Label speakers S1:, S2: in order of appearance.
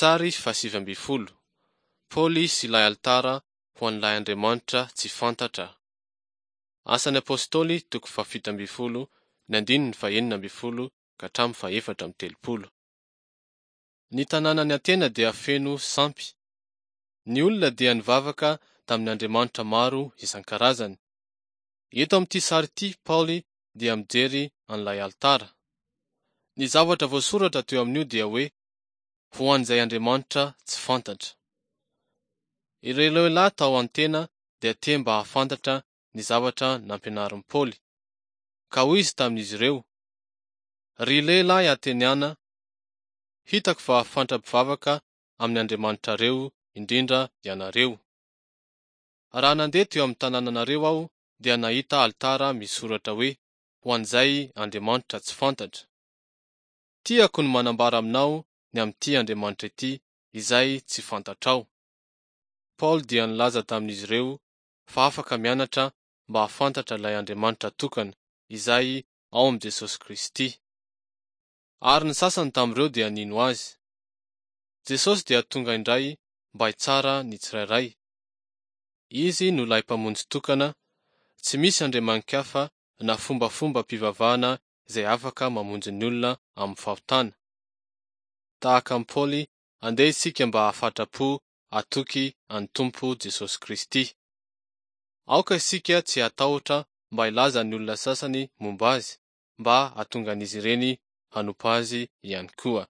S1: Sary faha-19, Paoly sy ilay alitara ho an'ilay Andriamanitra tsy fantatra. Asan'ny Apostoly toko faha-17 ny andininy faha-16 ka hatramin'ny faha-34. Ny tanànan'i Atena dia feno sampy. Ny olona dia nivavaka tamin'ny andriamanitra maro isan-karazany. Eto amin'ity sary ity Paoly dia mijery an'ilay alitara. Ny zavatra voasoratra teo amin'io dia hoe ho an'izay Andriamanitra tsy fantatra. Ireo lehilahy tao Antena dia te mba hahafantatra ny zavatra nampianarin'i Paoly. Ka hoy izy tamin'izy ireo, Ry lehilahy Ateniana, hitako fa fantram-pivavaka amin'ny andriamanitrareo indrindra ianareo. Raha nandeha teo amin'ny tanànanareo aho dia nahita alitara misy soratra hoe ho an'izay Andriamanitra tsy fantatra. Tiako ny manambara aminao ny amin'ity Andriamanitra ity izay tsy fantatrao. Paoly dia nilaza tamin'izy ireo fa afaka mianatra mba hahafantatra ilay Andriamanitra tokana izay ao amin'i Jesosy Kristy. Ary ny sasany tamin'ireo dia nino azy. Jesosy dia tonga indray mba hitsara ny tsirairay. Izy no ilay Mpamonjy tokana, tsy misy andriamani-kafa na fombafombam-pivavahana izay afaka mamonjy ny olona amin'ny fahotana. Tahaka an'i Paoly, andeha isika mba hahafatra-po hatoky an'ny Tompo Jesosy Kristy. Aoka isika tsy hatahotra mba hilaza ny olona sasany momba Azy, mba hahatonga an'izy ireny hanompo Azy ihany koa.